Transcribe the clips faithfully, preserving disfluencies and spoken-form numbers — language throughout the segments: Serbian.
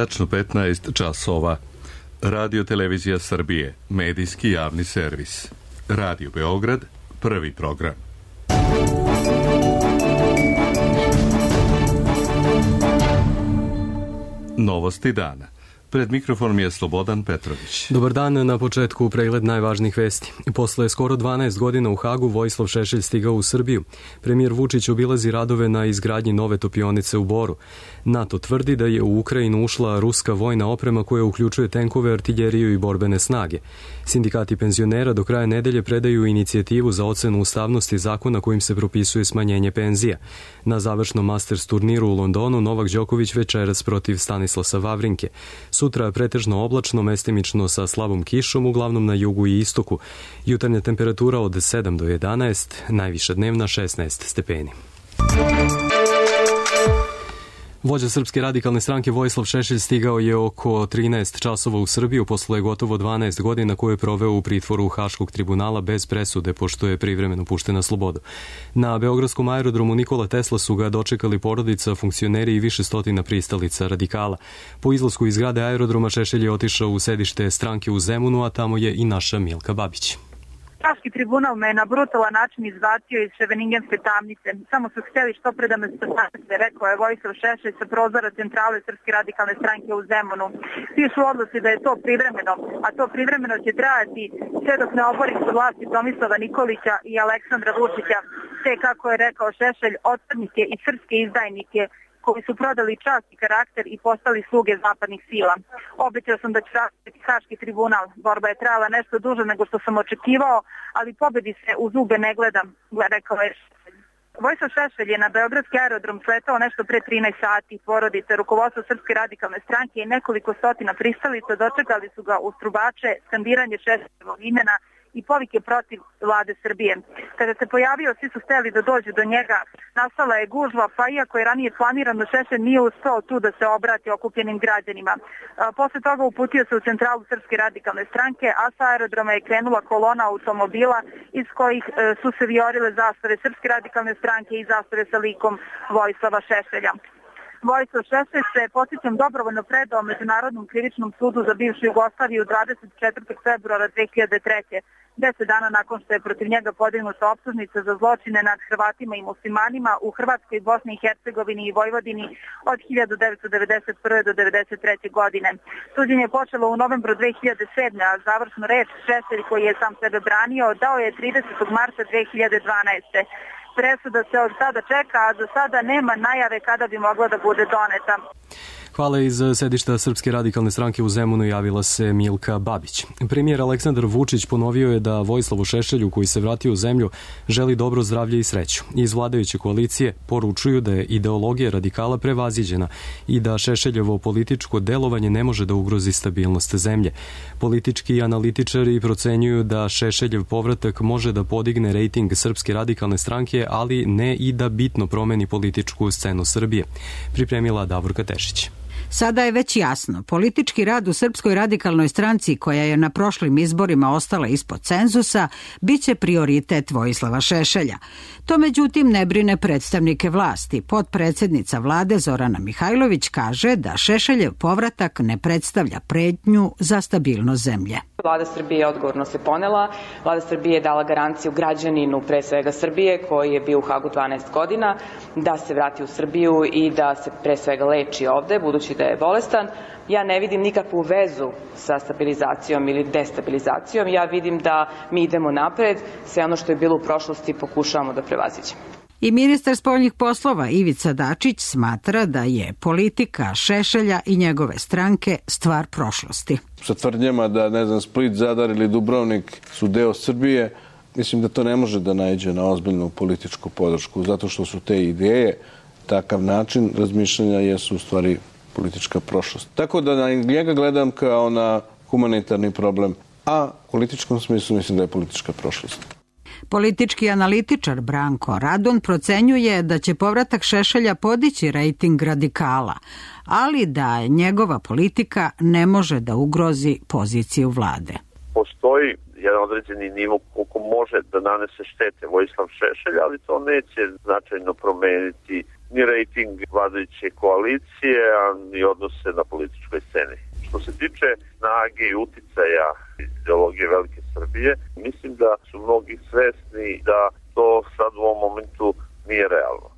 tačno petnaest časova. Radio Televizija Srbije, medijski javni servis. Radio Beograd, prvi program. Novosti dana. Pred mikrofonom je Slobodan Petrović. Dobar dan, na početku pregled najvažnijih vesti. Posle skoro dvanaest godina u Hagu Vojislav Šešelj stigao u Srbiju. Premijer Vučić obilazi radove na izgradnji nove topionice u Boru. NATO tvrdi da je u Ukrajinu ušla ruska vojna oprema koja uključuje tenkove, artiljeriju i borbene snage. Sindikati penzionera do kraja nedelje predaju inicijativu za ocenu ustavnosti zakona kojim se propisuje smanjenje penzija. Na završnom Masters turniru u Londonu Novak Đoković večeras protiv Stanislasa Vavrinke. Sutra pretežno oblačno, mestimično sa slabom kišom, uglavnom na jugu i istoku. Jutarnja temperatura od sedam do jedanaest, najviša dnevna šesnaest stepeni. Vođa Srpske radikalne stranke Vojislav Šešelj stigao je oko trinaest časova u Srbiju posle gotovo dvanaest godina koje je proveo u pritvoru Haškog tribunala bez presude, pošto je privremeno pušten na slobodu. Na beogradskom aerodromu Nikola Tesla su ga dočekali porodica, funkcioneri i više stotina pristalica radikala. Po izlasku iz zgrade aerodroma Šešelj je otišao u sedište stranke u Zemunu, a tamo je i naša Milka Babić. Haški tribunal me na brutalan način izbacio iz Ševeningenske tamnice. Samo su htjeli što pre da me spasite, rekao je Vojislav Šešelj sa prozora centrale Srpske radikalne stranke u Zemunu. Pišu odluci da je to privremeno, a to privremeno će trajati sve dok ne obori su vlasti Tomislava Nikolića i Aleksandra Vučića, te kako je rekao Šešelj, otpadnike i srpske izdajnike koji su prodali čast i karakter i postali sluge zapadnih sila. Obećao sam da ću raditi Haški tribunal. Borba je trajala nešto duže nego što sam očekivao, ali pobedi se u zube ne gledam, rekao je Šešelj. Vojislav Šešelj je na beogradski aerodrom sletao nešto pre trinaest sati. Porodice, rukovodstvo Srpske radikalne stranke i nekoliko stotina pristalica dočekali su ga u strubače, skandiranje Šešeljevog imena i povike protiv vlade Srbije. Kada se pojavio, svi su hteli da dođu do njega. Nastala je gužva, pa iako je ranije planirano, Šešelj nije uspeo tu da se obrati okupljenim građanima. Posle toga uputio se u centralu Srpske radikalne stranke, a sa aerodroma je krenula kolona automobila iz kojih su se viorile zastave Srpske radikalne stranke i zastave sa likom Vojislava Šešelja. Vojislav Šešelj se, podsjećam, dobrovoljno predao Međunarodnom krivičnom sudu za bivšu Jugoslaviju dvadeset četvrtog februara dve hiljade treće. Deset dana nakon što je protiv njega podignuta optužnica za zločine nad Hrvatima i muslimanima u Hrvatskoj, Bosni i Hercegovini i Vojvodini od hiljadu devetsto devedeset prve do devedeset treće godine. Suđenje je počelo u novembru dve hiljade sedme, a završnu reč Šešelj, koji je sam sebe branio, dao je tridesetog marta dve hiljade dvanaeste. Presuda se od sada čeka, a do sada nema najave kada bi mogla da bude doneta. Hvala. Iz sedišta Srpske radikalne stranke u Zemunu javila se Milka Babić. Premijer Aleksandar Vučić ponovio je da Vojislavu Šešelju, koji se vratio u zemlju, želi dobro zdravlje i sreću. Iz vladajuće koalicije poručuju da je ideologija radikala prevaziđena i da Šešeljevo političko delovanje ne može da ugrozi stabilnost zemlje. Politički analitičari procenjuju da Šešeljev povratak može da podigne rejting Srpske radikalne stranke, ali ne i da bitno promeni političku scenu Srbije. Pripremila Davorka Tešić. Sada je već jasno, politički rad u Srpskoj radikalnoj stranci, koja je na prošlim izborima ostala ispod cenzusa, bit će prioritet Vojislava Šešelja. To međutim ne brine predstavnike vlasti. Potpredsednica vlade Zorana Mihajlović kaže da Šešeljev povratak ne predstavlja pretnju za stabilnost zemlje. Vlada Srbije odgovorno se ponela. Vlada Srbije je dala garanciju građaninu, pre svega Srbije, koji je bio u Hagu dvanaest godina, da se vrati u Srbiju i da se pre svega leči ovde, budući da je bolestan. Ja ne vidim nikakvu vezu sa stabilizacijom ili destabilizacijom. Ja vidim da mi idemo napred, sve ono što je bilo u prošlosti pokušavamo da prevaziđemo. I ministar spoljnih poslova Ivica Dačić smatra da je politika Šešelja i njegove stranke stvar prošlosti. Sa tvrdnjama da, ne znam, Split, Zadar ili Dubrovnik su deo Srbije, mislim da to ne može da naiđe na ozbiljnu političku podršku, zato što su te ideje, takav način razmišljanja jesu u stvari politička prošlost. Tako da na njega gledam kao na humanitarni problem, a u političkom smislu mislim da je politička prošlost. Politički analitičar Branko Radun procenjuje da će povratak Šešelja podići rejting radikala, ali da njegova politika ne može da ugrozi poziciju vlade. Postoji jedan određeni nivo koliko može da nanese štete Vojislav Šešelj, ali to neće značajno promeniti ni rejting vladajuće koalicije, a ni odnose na političkoj sceni. Što se tiče snage i uticaja ideologije Velike Srbije, mislim da su mnogi svesni da to sad u ovom momentu nije realno.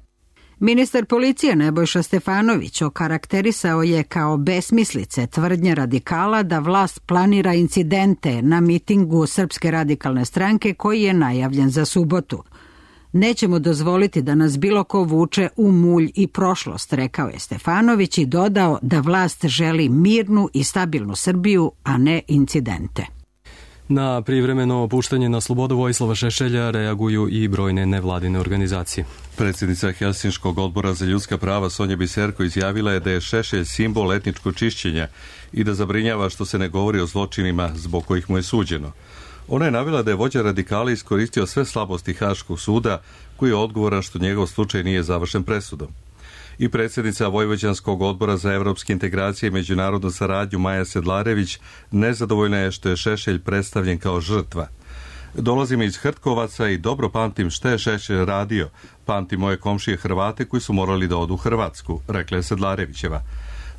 Ministar policije Nebojša Stefanović okarakterisao je kao besmislice tvrdnje radikala da vlast planira incidente na mitingu Srpske radikalne stranke koji je najavljen za subotu. Nećemo dozvoliti da nas bilo ko vuče u mulj i prošlost, rekao je Stefanović i dodao da vlast želi mirnu i stabilnu Srbiju, a ne incidente. Na privremeno puštanje na slobodu Vojislava Šešelja reaguju i brojne nevladine organizacije. Predsjednica Helsinškog odbora za ljudska prava Sonja Biserko izjavila je da je Šešelj simbol etničkog čišćenja i da zabrinjava što se ne govori o zločinima zbog kojih mu je suđeno. Ona je navela da je vođa radikala iskoristio sve slabosti Haškog suda koji je odgovoran što njegov slučaj nije završen presudom. I predsjednica Vojvođanskog odbora za evropske integracije i međunarodnu saradnju Maja Sedlarević nezadovoljna je što je Šešelj predstavljen kao žrtva. Dolazim iz Hrtkovaca i dobro pamtim što je Šešelj radio. Pamtim moje komšije Hrvate koji su morali da odu u Hrvatsku, rekla je Sedlarevićeva.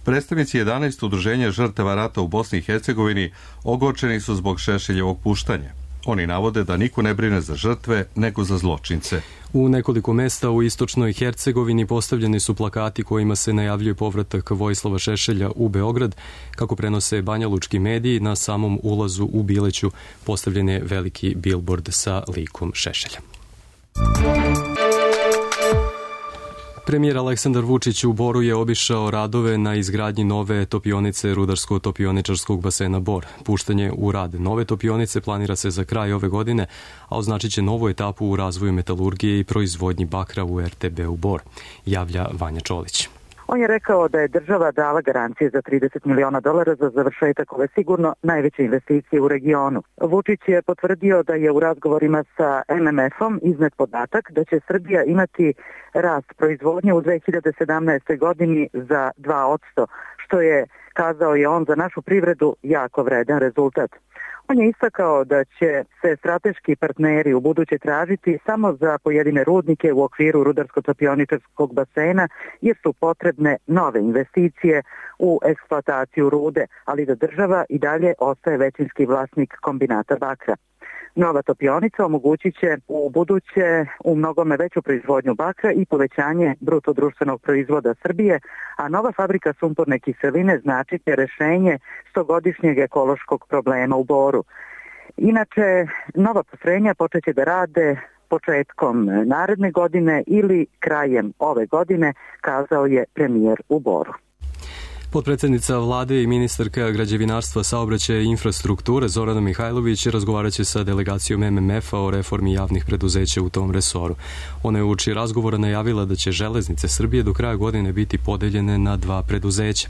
Predstavnici jedanaest udruženja žrtava rata u Bosni i Hercegovini ogorčeni su zbog Šešeljevog puštanja. Oni navode da niko ne brine za žrtve, nego za zločince. U nekoliko mesta u istočnoj Hercegovini postavljeni su plakati kojima se najavljuje povratak Vojislava Šešelja u Beograd. Kako prenose banjalučki mediji, na samom ulazu u Bileću postavljen je veliki bilbord sa likom Šešelja. Premijer Aleksandar Vučić u Boru je obišao radove na izgradnji nove topionice rudarsko-topioničarskog basena Bor. Puštanje u rad nove topionice planira se za kraj ove godine, a označit će novu etapu u razvoju metalurgije i proizvodnji bakra u er te be-u Bor, javlja Vanja Čolić. On je rekao da je država dala garancije za trideset miliona dolara za završetak ove sigurno najveće investicije u regionu. Vučić je potvrdio da je u razgovorima sa em em efom iznet podatak da će Srbija imati rast proizvodnje u dve hiljade sedamnaestoj godini za dva posto, što je, kazao je on, za našu privredu jako vredan rezultat. On je istakao da će se strateški partneri u buduće tražiti samo za pojedine rudnike u okviru rudarsko-topioničarskog basena jer su potrebne nove investicije u eksploataciju rude, ali da država i dalje ostaje većinski vlasnik kombinata bakra. Nova topionica omogućit će u buduće u mnogome veću proizvodnju bakra i povećanje bruto društvenog proizvoda Srbije, a nova fabrika sumporne kiseline znači će rešenje stogodišnjeg ekološkog problema u Boru. Inače, nova postrojenja počeće da rade početkom naredne godine ili krajem ove godine, kazao je premijer u Boru. Potpredsjednica vlade i ministarka građevinarstva, saobraćaja i infrastrukture Zorana Mihajlović razgovarat će sa delegacijom em em efa o reformi javnih preduzeća u tom resoru. Ona je uoči razgovora najavila da će železnice Srbije do kraja godine biti podeljene na dva preduzeća.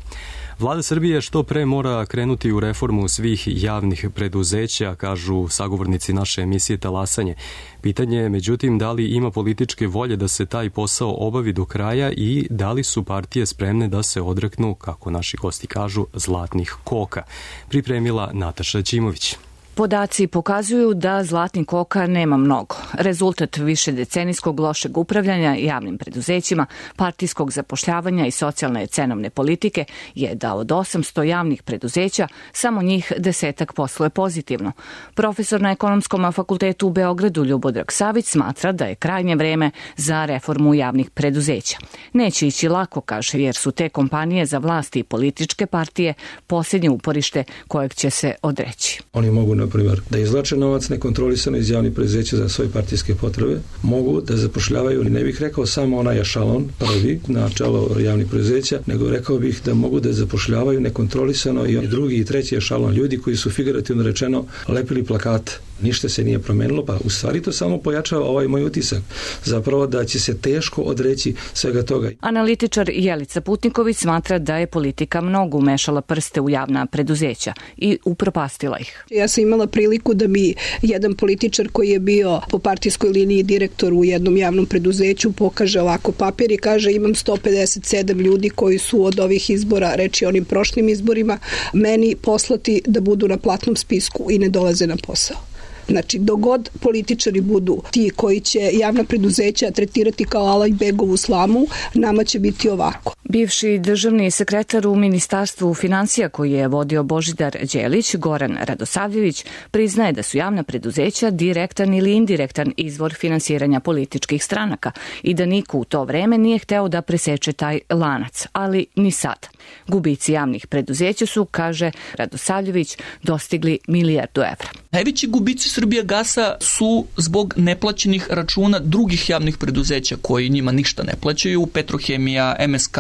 Vlada Srbije što pre mora krenuti u reformu svih javnih preduzeća, kažu sagovornici naše emisije Talasanje. Pitanje je, međutim, da li ima političke volje da se taj posao obavi do kraja i da li su partije spremne da se odreknu, kako naši gosti kažu, zlatnih koka. Pripremila Nataša Ćimović. Podaci pokazuju da zlatnih koka nema mnogo. Rezultat višedecenijskog lošeg upravljanja javnim preduzećima, partijskog zapošljavanja i socijalne cenovne politike je da od osamsto javnih preduzeća samo njih desetak posluje pozitivno. Profesor na Ekonomskom fakultetu u Beogradu Ljubodrag Savić smatra da je krajnje vreme za reformu javnih preduzeća. Neće ići lako, kaže, jer su te kompanije za vlasti i političke partije posljednje uporište kojeg će se odreći. Oni mogu na primjer, da izvlače novac nekontrolisano iz javnih preduzeća za svoje partijske potrebe, mogu da zapošljavaju, ne bih rekao samo onaj ešalon prvi na čelo javnih preduzeća, nego rekao bih da mogu da zapošljavaju nekontrolisano i drugi i treći ešalon ljudi koji su figurativno rečeno lepili plakate. Ništa se nije promenilo, pa u stvari to samo pojačava ovaj moj utisak. Zapravo da će se teško odreći svega toga. Analitičar Jelica Putniković smatra da je politika mnogo umešala prste u javna preduzeća i upropastila ih. Ja sam imala priliku da mi jedan političar koji je bio po partijskoj liniji direktor u jednom javnom preduzeću pokaže ovako papir i kaže imam sto pedeset sedam ljudi koji su od ovih izbora, reči onim prošlim izborima, meni poslati da budu na platnom spisku i ne dolaze na posao. Znači, dogod političari budu ti koji će javna preduzeća tretirati kao Alajbegovu slamu, nama će biti ovako. Bivši državni sekretar u Ministarstvu finansija koji je vodio Božidar Đelić, Goran Radosavljević, priznaje da su javna preduzeća direktan ili indirektan izvor finansiranja političkih stranaka i da niko u to vreme nije hteo da preseče taj lanac, ali ni sad. Gubici javnih preduzeća su, kaže Radosavljević, dostigli milijardu evra. Najveći gubici Srbijagasa su zbog neplaćenih računa drugih javnih preduzeća koji njima ništa ne plaćaju, Petrohemija, M S K,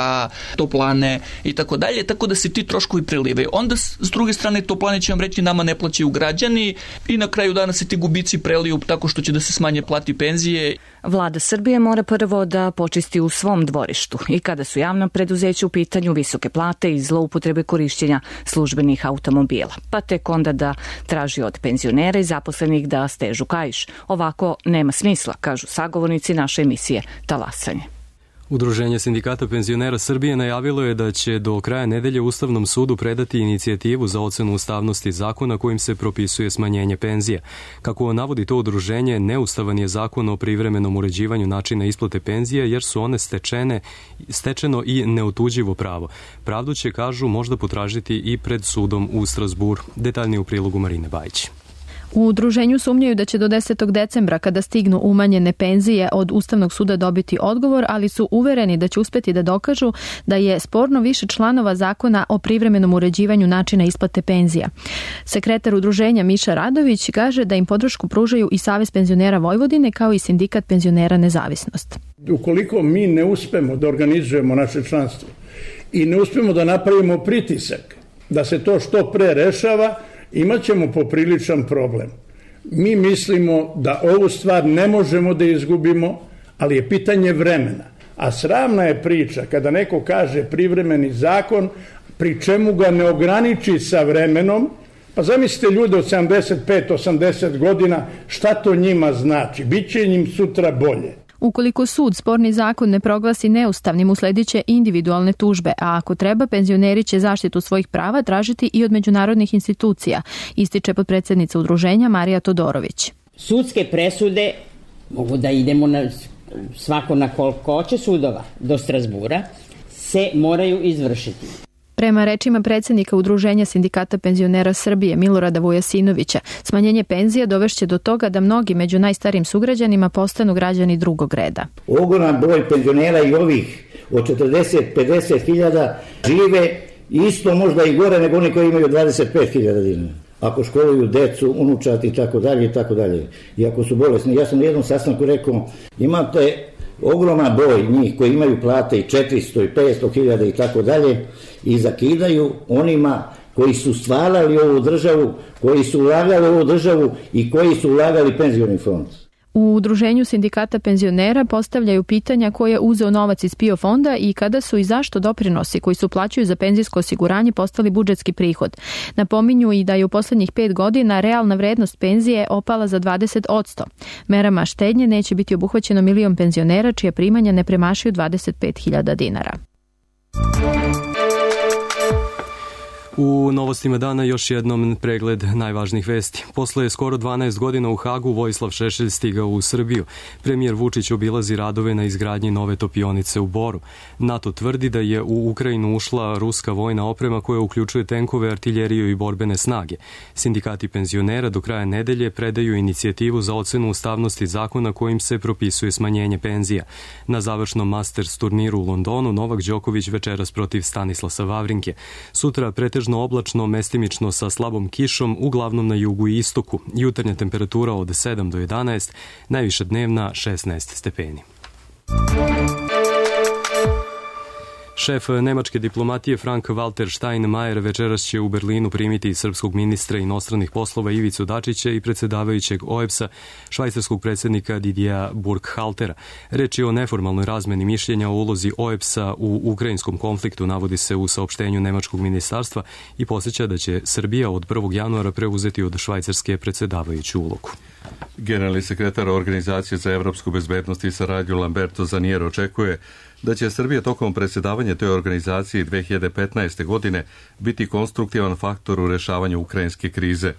Toplane i tako dalje, tako da se ti troškovi prelivaju. Onda s druge strane Toplane će vam reći nama ne plaćaju građani i na kraju dana se ti gubici preliju tako što će da se smanje plati penzije. Vlada Srbije mora prvo da počisti u svom dvorištu i kada su javna preduzeća u pitanju visoke plate i zloupotrebe korišćenja službenih automobila, pa tek onda da traži od penzionera i zaposlenih da stežu kaiš. Ovako nema smisla, kažu sagovornici naše emisije Talasanje. Udruženje sindikata penzionera Srbije najavilo je da će do kraja nedelje Ustavnom sudu predati inicijativu za ocenu ustavnosti zakona kojim se propisuje smanjenje penzija. Kako navodi to udruženje, neustavan je zakon o privremenom uređivanju načina isplate penzija jer su one stečene, stečeno i neotuđivo pravo. Pravdu će, kažu, možda potražiti i pred sudom u Strazburu. Detaljnije u prilogu Marine Bajić. U udruženju sumnjaju da će do desetog decembra, kada stignu umanjene penzije, od Ustavnog suda dobiti odgovor, ali su uvereni da će uspeti da dokažu da je sporno više članova zakona o privremenom uređivanju načina isplate penzija. Sekretar udruženja Miša Radović kaže da im podršku pružaju i Savez penzionera Vojvodine kao i Sindikat penzionera Nezavisnost. Ukoliko mi ne uspemo da organizujemo naše članstvo i ne uspemo da napravimo pritisak da se to što pre rešava, imat ćemo popriličan problem. Mi mislimo da ovu stvar ne možemo da izgubimo, ali je pitanje vremena. A sramna je priča kada neko kaže privremeni zakon, pri čemu ga ne ograniči sa vremenom. Pa zamislite ljude od sedamdeset pet do osamdeset godina, šta to njima znači? Biće njim sutra bolje. Ukoliko sud sporni zakon ne proglasi neustavnim, uslediće individualne tužbe, a ako treba, penzioneri će zaštitu svojih prava tražiti i od međunarodnih institucija, ističe potpredsednica udruženja Marija Todorović. Sudske presude, mogu da idemo na, svako na koliko hoće sudova, do Strazbura, se moraju izvršiti. Prema rečima predsjednika Udruženja sindikata penzionera Srbije Milorada Vujasinovića, smanjenje penzija dovešće do toga da mnogi među najstarijim sugrađanima postanu građani drugog reda. Ogroman broj penzionera i ovih od četrdeset do pedeset hiljada žive isto, možda i gore nego oni koji imaju dvadeset pet hiljada dinara. Ako školuju decu, unučati i tako dalje i tako dalje. I ako su bolesni. Ja sam na jednom sastanku rekao, imate ogroman broj njih koji imaju plate i četiristo i petsto hiljada i tako dalje i zakidaju onima koji su stvarali ovu državu, koji su ulagali ovu državu i koji su ulagali penzioni fond. U Udruženju sindikata penzionera postavljaju pitanja ko je uzeo novac iz P I O fonda i kada su i zašto doprinosi koji su plaćaju za penzijsko osiguranje postali budžetski prihod. Napominju i da je u poslednjih pet godina realna vrednost penzije opala za dvadeset posto. Merama štednje neće biti obuhvaćeno milion penzionera čija primanja ne premašuju dvadeset pet hiljada dinara. U novostima dana još jednom pregled najvažnijih vesti. Posle skoro dvanaest godina u Hagu Vojislav Šešelj stigao u Srbiju. Premijer Vučić obilazi radove na izgradnji nove topionice u Boru. NATO tvrdi da je u Ukrajinu ušla ruska vojna oprema koja uključuje tenkove, artiljeriju i borbene snage. Sindikati penzionera do kraja nedelje predaju inicijativu za ocenu ustavnosti zakona kojim se propisuje smanjenje penzija. Na završnom Masters turniru u Londonu Novak Đoković večeras protiv Stanislasa Vavrinke. Sutra pretežno oblačno, mestimično sa slabom kišom, uglavnom na jugu i istoku. Jutarnja temperatura od sedam do jedanaest, najviša dnevna šesnaest stepeni. Šef nemačke diplomatije Frank-Walter Steinmeier večeras će u Berlinu primiti srpskog ministra inostranih poslova Ivicu Dačića i predsedavajućeg O E B S-a, švajcarskog predsjednika Didija Burkhaltera. Reč je o neformalnoj razmeni mišljenja o ulozi O E B S-a u ukrajinskom konfliktu, navodi se u saopštenju nemačkog ministarstva i podsjeća da će Srbija od prvog januara preuzeti od Švajcarske predsedavajuću ulogu. Generalni sekretar Organizacije za evropsku bezbednost i saradnju Lamberto Zanier očekuje da će Srbija tokom predsjedavanja toj organizaciji dve hiljade petnaeste. godine biti konstruktivan faktor u rešavanju ukrajinske krize.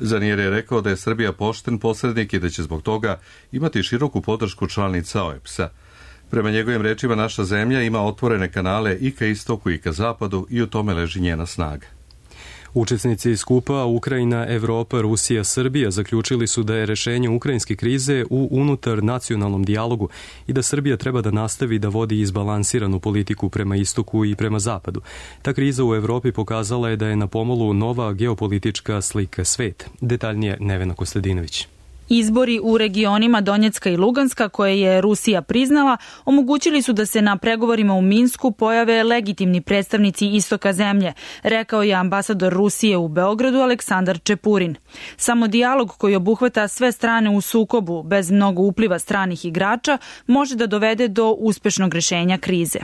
Zanier je rekao da je Srbija pošten posrednik i da će zbog toga imati široku podršku članica O E B S-a. Prema njegovim rečima, naša zemlja ima otvorene kanale i ka istoku i ka zapadu i u tome leži njena snaga. Učesnici skupa Ukrajina, Evropa, Rusija, Srbija zaključili su da je rešenje ukrajinske krize u unutar nacionalnom dijalogu i da Srbija treba da nastavi da vodi izbalansiranu politiku prema istoku i prema zapadu. Ta kriza u Evropi pokazala je da je na pomolu nova geopolitička slika sveta. Detaljnije Nevena Kostadinović. Izbori u regionima Donjecka i Luganska, koje je Rusija priznala, omogućili su da se na pregovorima u Minsku pojave legitimni predstavnici istoka zemlje, rekao je ambasador Rusije u Beogradu Aleksandar Čepurin. Samo dijalog koji obuhvata sve strane u sukobu, bez mnogo upliva stranih igrača, može da dovede do uspešnog rešenja krize.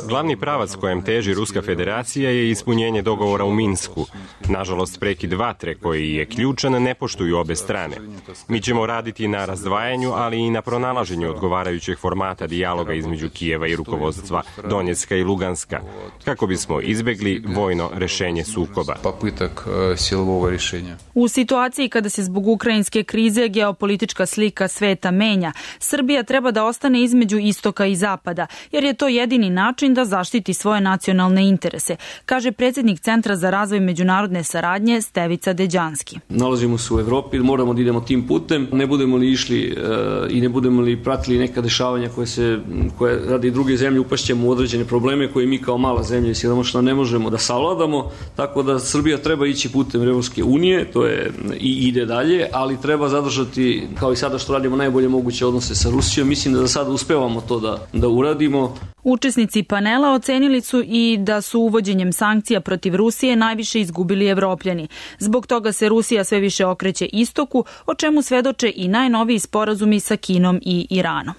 Glavni pravac kojem teži Ruska federacija je ispunjenje dogovora u Minsku. Nažalost, prekid vatre koji je ključan ne poštuju obe strane. Mi ćemo raditi na razdvajanju, ali i na pronalaženju odgovarajućeg formata dijaloga između Kijeva i rukovodstva Donjecka i Luganska, kako bismo izbegli vojno rešenje sukoba. U situaciji kada se zbog ukrajinske krize geopolitička slika sveta menja, Srbija treba da ostane između istoka i zapada, jer je to jedini način da zaštiti svoje nacionalne interese, kaže predsjednik Centra za razvoj međunarodne saradnje Stevica Deđanski. Nalazimo se u Evropi, moramo da idemo tim putem, ne budemo li išli uh, i ne budemo li pratili neka dešavanja koje se koje radi druge zemlje, upašćemo u određene probleme koje mi kao mala zemlja i siromašna ne možemo da savladamo, tako da Srbija treba ići putem Evropske unije, to je i ide dalje, ali treba zadržati, kao i sada što radimo, najbolje moguće odnose sa Rusijom. Mislim da za sada uspevamo to da, da uradimo. Učesnici panela ocenili su i da su uvođenjem sankcija protiv Rusije najviše izgubili Evropljani. Zbog toga se Rusija sve više okreće istoku, o čemu svedoče i najnoviji sporazumi sa Kinom i Iranom.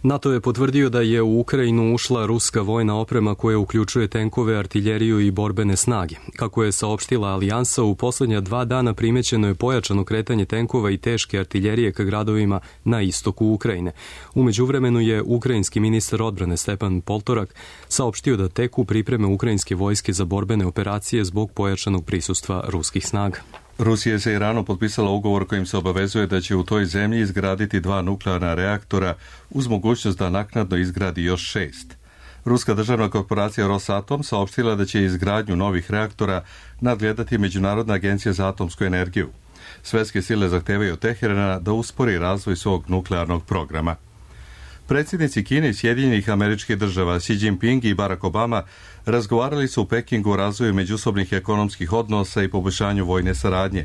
NATO je potvrdio da je u Ukrajinu ušla ruska vojna oprema koja uključuje tenkove, artiljeriju i borbene snage. Kako je saopštila Alijansa, u poslednja dva dana primećeno je pojačano kretanje tenkova i teške artiljerije ka gradovima na istoku Ukrajine. U međuvremenu je ukrajinski ministar odbrane Stepan Poltorak saopštio da teku pripreme ukrajinske vojske za borbene operacije zbog pojačanog prisustva ruskih snaga. Rusija je sa Iranom potpisala ugovor kojim se obavezuje da će u toj zemlji izgraditi dva nuklearna reaktora uz mogućnost da naknadno izgradi još šest. Ruska državna korporacija Rosatom saopštila da će izgradnju novih reaktora nadgledati Međunarodna agencija za atomsku energiju. Svetske sile zahtevaju od Teherana da uspori razvoj svog nuklearnog programa. Predsjednici Kine i Sjedinjenih Američkih Država Xi Jinping i Barack Obama razgovarali su u Pekingu o razvoju međusobnih ekonomskih odnosa i poboljšanju vojne saradnje.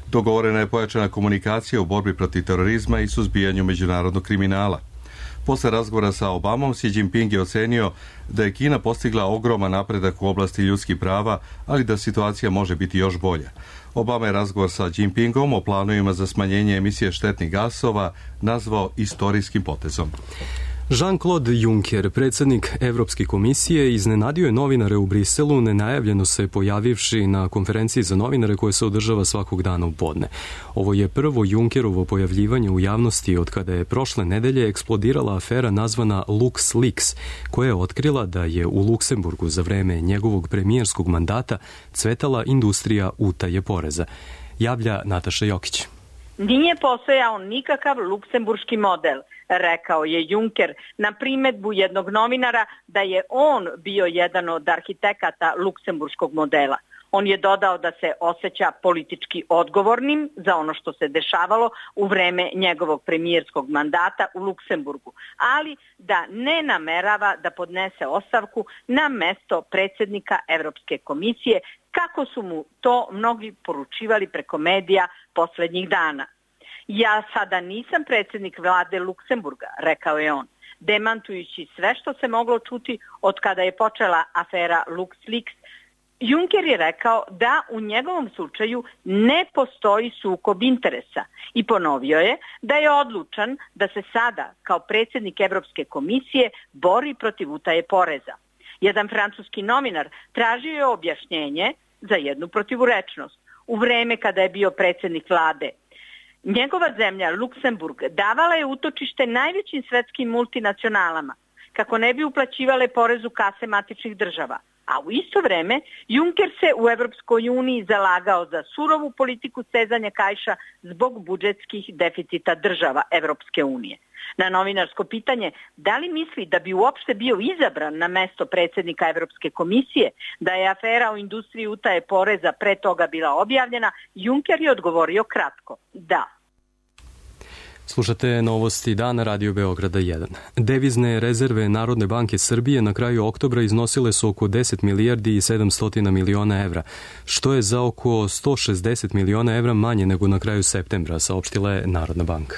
Dogovorena je pojačana komunikacija u borbi protiv terorizma i suzbijanju međunarodnog kriminala. Posle razgovora sa Obamom, Xi Jinping je ocenio da je Kina postigla ogroman napredak u oblasti ljudskih prava, ali da situacija može biti još bolja. Obama je razgovor sa Jinpingom o planovima za smanjenje emisije štetnih gasova nazvao istorijskim potezom. Jean-Claude Juncker, predsjednik Evropske komisije, iznenadio je novinare u Briselu, nenajavljeno se pojavivši na konferenciji za novinare koje se održava svakog dana u podne. Ovo je prvo Junckerovo pojavljivanje u javnosti od kada je prošle nedelje eksplodirala afera nazvana LuxLeaks, koja je otkrila da je u Luksemburgu za vreme njegovog premijerskog mandata cvetala industrija utaje poreza. Javlja Nataša Jokić. Nije postojao nikakav luksemburški model, rekao je Juncker na primedbu jednog novinara da je on bio jedan od arhitekata luksemburškog modela. On je dodao da se osjeća politički odgovornim za ono što se dešavalo u vreme njegovog premijerskog mandata u Luksemburgu, ali da ne namerava da podnese ostavku na mesto predsjednika Evropske komisije, kako su mu to mnogi poručivali preko medija poslednjih dana. Ja sada nisam predsjednik vlade Luksemburga, rekao je on, demantujući sve što se moglo čuti od kada je počela afera LuxLeaks. Juncker je rekao da u njegovom slučaju ne postoji sukob interesa i ponovio je da je odlučan da se sada kao predsjednik Evropske komisije bori protiv utaje poreza. Jedan francuski novinar tražio je objašnjenje za jednu protivurečnost. U vreme kada je bio predsjednik vlade, njegova zemlja, Luksemburg, davala je utočište najvećim svetskim multinacionalama kako ne bi uplaćivale porez u kase matičnih država, a u isto vreme Juncker se u Evropskoj uniji zalagao za surovu politiku stezanja kaiša zbog budžetskih deficita država Evropske unije. Na novinarsko pitanje da li misli da bi uopšte bio izabran na mesto predsjednika Evropske komisije, da je afera o industriji utaje poreza pre toga bila objavljena, Juncker je odgovorio kratko, da. Slušate novosti dana Radio Beograda jedan. Devizne rezerve Narodne banke Srbije na kraju oktobra iznosile su oko deset milijardi i sedamsto miliona evra, što je za oko sto šezdeset miliona evra manje nego na kraju septembra, saopštila je Narodna banka.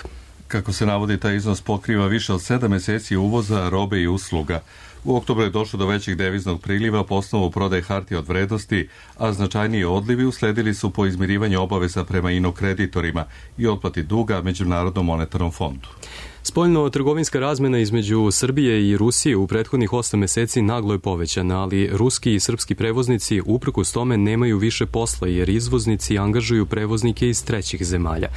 Kako se navodi, taj iznos pokriva više od sedam meseci uvoza robe i usluga. U oktobru je došlo do većeg deviznog priliva po osnovu prodaje hartija od vrednosti, a značajniji odlivi usledili su po izmirivanju obaveza prema inokreditorima i otplati duga Međunarodnom monetarnom fondu. Spoljno-trgovinska razmena između Srbije i Rusije u prethodnih osam meseci naglo je povećana, ali ruski i srpski prevoznici uprkos tome nemaju više posla jer izvoznici angažuju prevoznike iz trećih zemalja.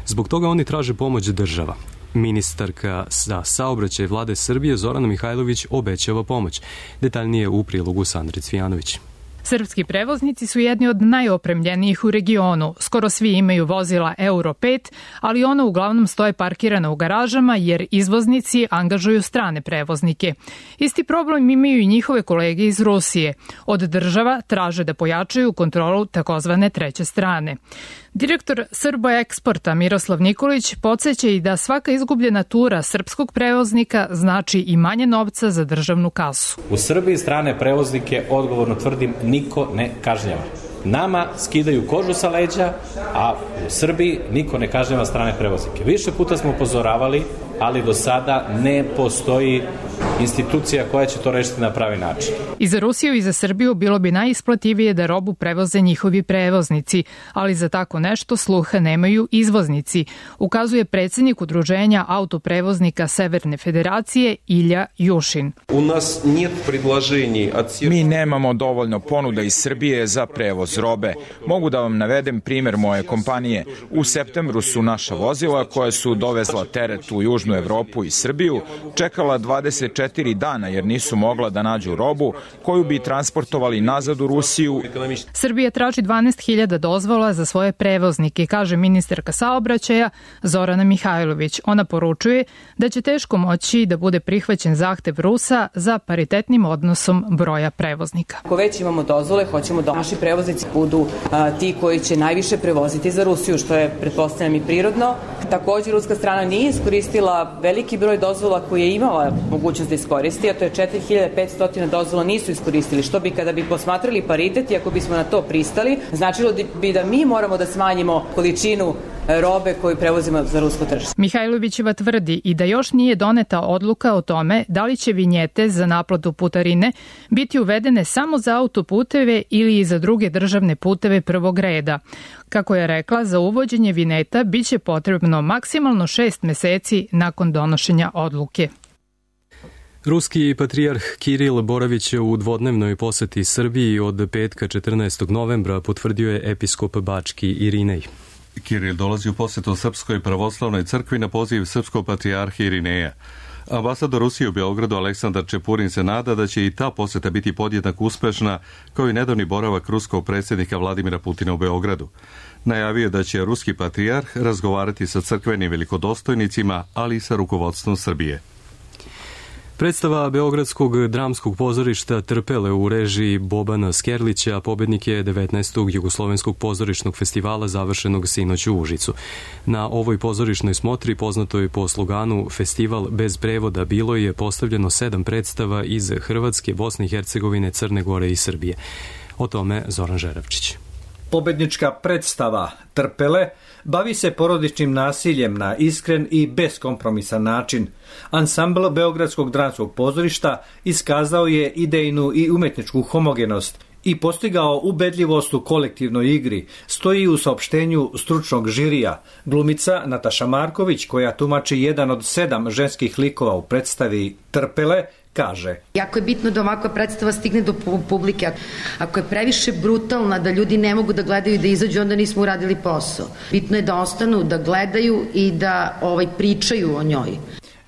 Zbog toga oni traže pomoć država. Ministarka za saobraćaj vlade Srbije Zorana Mihajlović obećava pomoć. Detaljnije u prilogu Sandre Cvijanović. Srpski prevoznici su jedni od najopremljenijih u regionu. Skoro svi imaju vozila Euro pet, ali ona uglavnom stoje parkirana u garažama jer izvoznici angažuju strane prevoznike. Isti problem imaju i njihove kolege iz Rusije. Od država traže da pojačaju kontrolu takozvane treće strane. Direktor Srbo eksporta Miroslav Nikolić podsjeća i da svaka izgubljena tura srpskog prevoznika znači i manje novca za državnu kasu. U Srbiji strane prevoznike, odgovorno tvrdim, niko ne kažnjava. Nama skidaju kožu sa leđa, a u Srbiji niko ne kažnjava strane prevoznike. Više puta smo upozoravali, ali do sada ne postoji institucija koja će to rešiti na pravi način. I za Rusiju i za Srbiju bilo bi najisplativije da robu prevoze njihovi prevoznici, ali za tako nešto sluha nemaju izvoznici, ukazuje predsjednik Udruženja autoprevoznika Severne Federacije Ilja Jušin. U nas нет предложений от... Mi nemamo dovoljno ponuda iz Srbije za prevoz robe. Mogu da vam navedem primjer moje kompanije. U septembru su naša vozila koja su dovezla teret u Južnu Evropu i Srbiju čekala dvadeset četiri dana jer nisu mogla da nađu robu koju bi transportovali nazad u Rusiju. Srbija traži dvanaest hiljada dozvola za svoje prevoznike, kaže ministarka saobraćaja Zorana Mihajlović. Ona poručuje da će teško moći da bude prihvaćen zahtev Rusa za paritetnim odnosom broja prevoznika. Ako već imamo dozvole, hoćemo da naši prevoznici budu a, ti koji će najviše prevoziti za Rusiju, što je, pretpostavljam, i prirodno. Također, ruska strana nije iskoristila veliki broj dozvola koje je imala mogućnost da iskoristi, a to je četiri hiljade petsto dozvola nisu iskoristili, što bi kada bi posmatrali paritet i ako bismo na to pristali, značilo bi da mi moramo da smanjimo količinu robe koju prevozimo za rusko tržište. Mihajlovićeva tvrdi i da još nije doneta odluka o tome da li će vinjete za naplatu putarine biti uvedene samo za autoputeve ili i za druge državne puteve prvog reda. Kako je rekla, za uvođenje vinjeta biće potrebno maksimalno šest meseci nakon donošenja odluke. Ruski patrijarh Kiril boravić je u dvodnevnoj poseti Srbiji od petka četrnaestog novembra, potvrdio je episkop Bački Irinej. Kiril dolazi u posetu Srpskoj pravoslavnoj crkvi na poziv srpskog patrijarha Irineja. Ambasador Rusije u Beogradu Aleksandar Čepurin se nada da će i ta poseta biti podjednako uspešna kao i nedavni boravak ruskog predsjednika Vladimira Putina u Beogradu. Najavio da će ruski patrijarh razgovarati sa crkvenim velikodostojnicima, ali i sa rukovodstvom Srbije. Predstava Beogradskog dramskog pozorišta Trpele u režiji Bobana Skerlića pobednik je devetnaestog Jugoslovenskog pozorišnog festivala završenog sinoć u Užicu. Na ovoj pozorišnoj smotri, poznatoj po sloganu Festival bez prevoda, bilo je postavljeno sedam predstava iz Hrvatske, Bosne i Hercegovine, Crne Gore i Srbije. O tome Zoran Žeravčić. Pobednička predstava Trpele bavi se porodičnim nasiljem na iskren i beskompromisan način. Ansambl Beogradskog dramskog pozorišta iskazao je idejnu i umetničku homogenost i postigao ubedljivost u kolektivnoj igri, stoji u saopštenju stručnog žirija. Glumica Nataša Marković, koja tumači jedan od sedam ženskih likova u predstavi Trpele, kaže: Jako je bitno da ovakva predstava stigne do publike. Ako je previše brutalna, da ljudi ne mogu da gledaju i da izađu, onda nismo uradili posao. Bitno je da ostanu, da gledaju i da ovaj pričaju o njoj.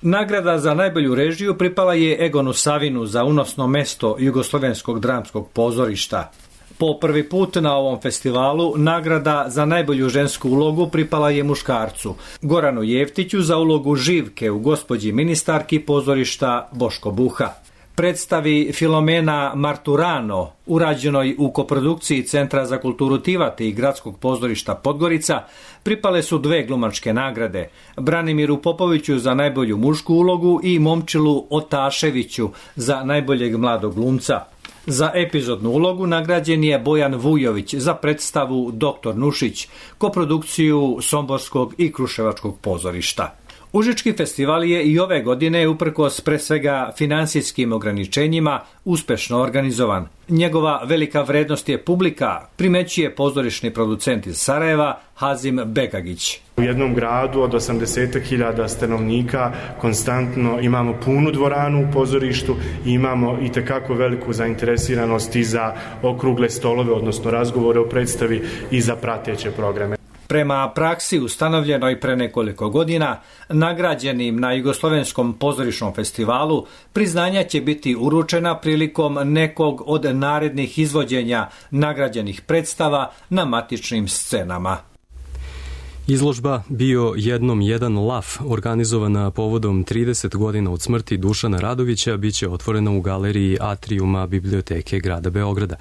Nagrada za najbolju režiju pripala je Egonu Savinu za unosno mesto Jugoslovenskog dramskog pozorišta. Po prvi put na ovom festivalu nagrada za najbolju žensku ulogu pripala je muškarcu, Goranu Jeftiću za ulogu Živke u Gospođi ministarki pozorišta Boško Buha. Predstavi Filomena Marturano, urađenoj u koprodukciji Centra za kulturu Tivate i Gradskog pozorišta Podgorica, pripale su dve glumačke nagrade, Branimiru Popoviću za najbolju mušku ulogu i Momčilu Otaševiću za najboljeg mladog glumca. Za epizodnu ulogu nagrađen je Bojan Vujović za predstavu Doktor Nušić, koprodukciju Somborskog i Kruševačkog pozorišta. Užički festival je i ove godine, uprkos pre svega finansijskim ograničenjima, uspešno organizovan. Njegova velika vrednost je publika, primećuje pozorišni producent iz Sarajeva Hazim Bekagić. U jednom gradu od osamdeset hiljada stanovnika konstantno imamo punu dvoranu u pozorištu i imamo i tekako veliku zainteresiranost i za okrugle stolove, odnosno razgovore o predstavi i za prateće programe. Prema praksi ustanovljenoj pre nekoliko godina, nagrađenim na Jugoslovenskom pozorišnom festivalu, priznanja će biti uručena prilikom nekog od narednih izvođenja nagrađenih predstava na matičnim scenama. Izložba Bio jednom jedan laf, organizovana povodom trideset godina od smrti Dušana Radovića, biće otvorena u galeriji Atrijuma Biblioteke grada Beograda.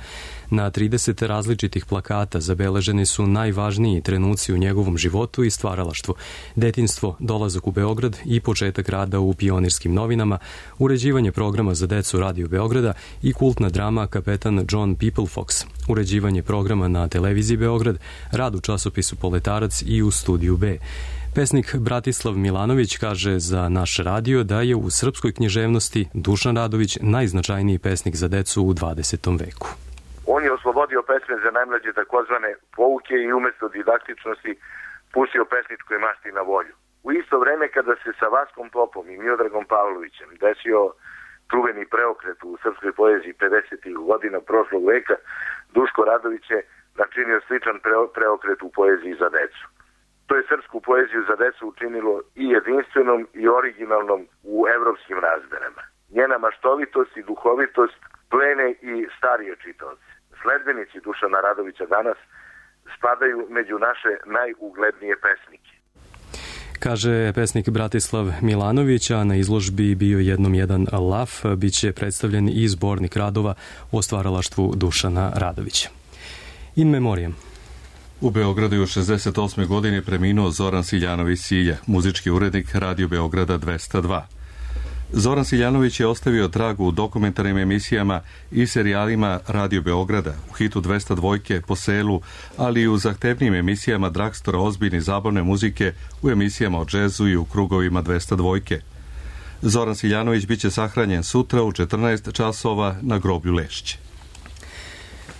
Na trideset različitih plakata zabeleženi su najvažniji trenuci u njegovom životu i stvaralaštvu: detinjstvo, dolazak u Beograd i početak rada u Pionirskim novinama, uređivanje programa za decu Radio Beograda i kultna drama Kapetan John Peoplefox, uređivanje programa na televiziji Beograd, rad u časopisu Poletarac i u Studiju B. Pesnik Bratislav Milanović kaže za naš radio da je u srpskoj književnosti Dušan Radović najznačajniji pesnik za decu u dvadesetom veku. On je oslobodio pesme za najmlađe takozvane pouke i umesto didaktičnosti pustio pesničkoj masti na volju. U isto vreme kada se sa Vaskom Popom i Miodragom Pavlovićem desio čuveni preokret u srpskoj poeziji pedesetih godina prošlog veka, Duško Radović je načinio sličan preokret u poeziji za decu. To je srpsku poeziju za decu učinilo i jedinstvenom i originalnom u evropskim razmerama. Njena maštovitost i duhovitost plene i starije čitaoce. Sledbenici Dušana Radovića danas spadaju među naše najuglednije pesnike. Kaže pesnik Bratislav Milanović, a na izložbi Bio jednom jedan laf biće predstavljen i zbornik radova o stvaralaštvu Dušana Radovića. In memoriam. U Beogradu je u šezdeset osmoj godini preminuo Zoran Siljanović Silja, muzički urednik Radio Beograda dvesta dva. Zoran Siljanović je ostavio trag u dokumentarnim emisijama i serijalima Radio Beograda, u hitu dvesta dva Po selu, ali i u zahtevnim emisijama Dragstora ozbiljne zabavne muzike, u emisijama o džezu i u krugovima dvesta dva. Zoran Siljanović biće sahranjen sutra u četrnaest časova na groblju Lešće.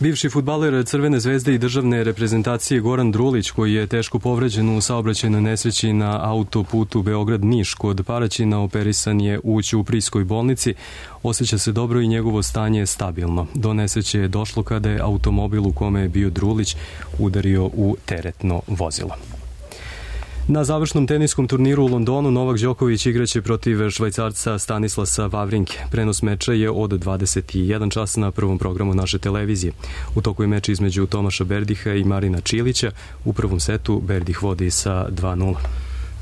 Bivši fudbaler Crvene zvezde i državne reprezentacije Goran Drulić, koji je teško povređen u saobraćajnoj nesreći na autoputu Beograd-Niš kod Paraćina, operisan je u Ćuprijskoj bolnici. Osjeća se dobro i njegovo stanje je stabilno. Do nesreće je došlo kada je automobil u kome je bio Drulić udario u teretno vozilo. Na završnom teniskom turniru u Londonu Novak Đoković igraće protiv Švajcarca Stanislasa Wawrinke. Prenos meča je od dvadeset jedan čas na prvom programu naše televizije. U toku je meč između Tomaša Berdiha i Marina Čilića. U prvom setu Berdih vodi sa dva nula.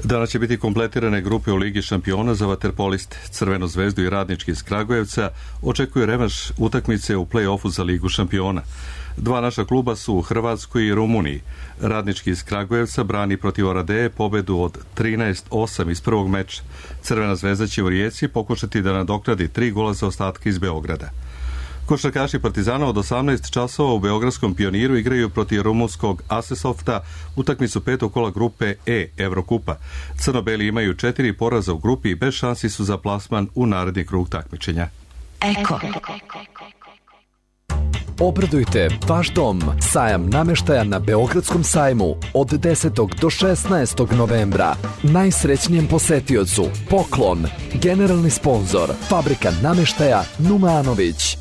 Danas će biti kompletirane grupe u Ligi šampiona za vaterpoliste. Crvenu zvezdu i Radnički iz Kragujevca očekuje revanš utakmice u play-offu za Ligu šampiona. Dva naša kluba su u Hrvatskoj i Rumuniji. Radnički iz Kragujevca brani protiv Oradeje pobedu od trinaest osam iz prvog meča. Crvena zvezda će u Rijeci pokušati da nadoknadi tri gola za ostatke iz Beograda. Košarkaši Partizana od osamnaest časova u Beogradskom Pioniru igraju protiv rumunskog Asesofta utakmicu petog kola grupe E Evrokupa. Crno-beli imaju četiri poraza u grupi i bez šansi su za plasman u naredni krug takmičenja. Eko. Obradujte vaš dom. Sajam nameštaja na Beogradskom sajmu od desetog do šesnaestog novembra. Najsrećnijem posetiocu poklon. Generalni sponzor Fabrika nameštaja Numanović.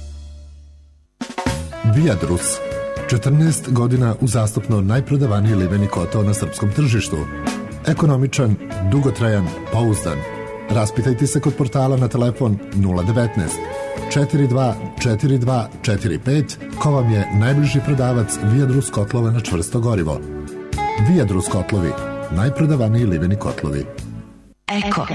Viadrus. četrnaest godina uzastopno najprodavaniji liveni kotao na srpskom tržištu. Ekonomičan, dugotrajan, pouzdan. Raspitajte se kod portala na telefon nula devet četiri dva četiri dva četiri pet ko vam je najbliži prodavac Viadrus kotlova na čvrsto gorivo. Viadrus kotlovi, najprodavaniji liveni kotlovi. Eko.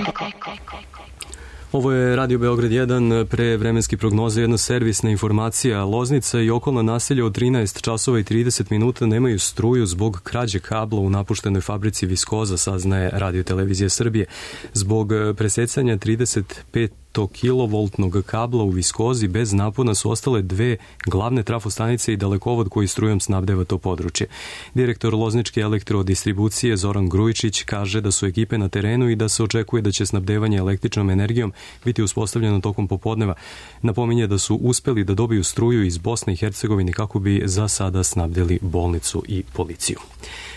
Ovo je Radio Beograd jedan, pre vremenski prognoze, jedna servisna informacija. Loznica i okolna naselja od trinaest časova i trideset minuta nemaju struju zbog krađe kabla u napuštenoj fabrici Viskoza, saznaje Radio Televizija Srbije. Zbog presecanja trideset pet kilovoltnog kabla u Viskozi bez napona su ostale dve glavne trafostanice i dalekovod koji strujom snabdeva to područje. Direktor Lozničke elektrodistribucije Zoran Grujičić kaže da su ekipe na terenu i da se očekuje da će snabdevanje električnom energijom biti uspostavljeno tokom popodneva. Napominje da su uspeli da dobiju struju iz Bosne i Hercegovine kako bi za sada snabdeli bolnicu i policiju.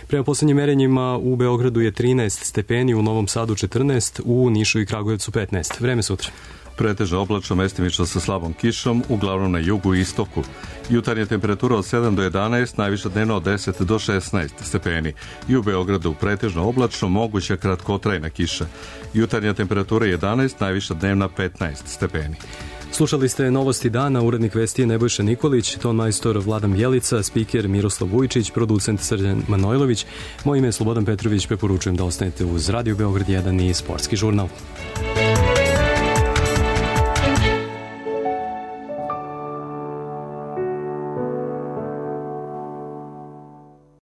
Prema poslednjim merenjima u Beogradu je trinaest stepeni, u Novom Sadu četrnaest, u Nišu i Kragujevcu petnaest. Vreme sutra. Pretežno oblačno, mestimično sa slabom kišom, uglavnom na jugu i istoku. Jutarnja temperatura od sedam do jedanaest, najviša dnevno od deset do šesnaest stepeni. I u Beogradu pretežno oblačno, moguća kratkotrajna kiša. Jutarnja temperatura jedanaest, najviša dnevna petnaest stepeni. Slušali ste Novosti dana, urednik vesti je Nebojša Nikolić, ton majstor Vladan Bjelica, spiker Miroslav Vujčić, producent Srđan Manojlović. Moje ime je Slobodan Petrović, preporučujem da ostanete uz Radio Beograd jedan i Sportski žurnal.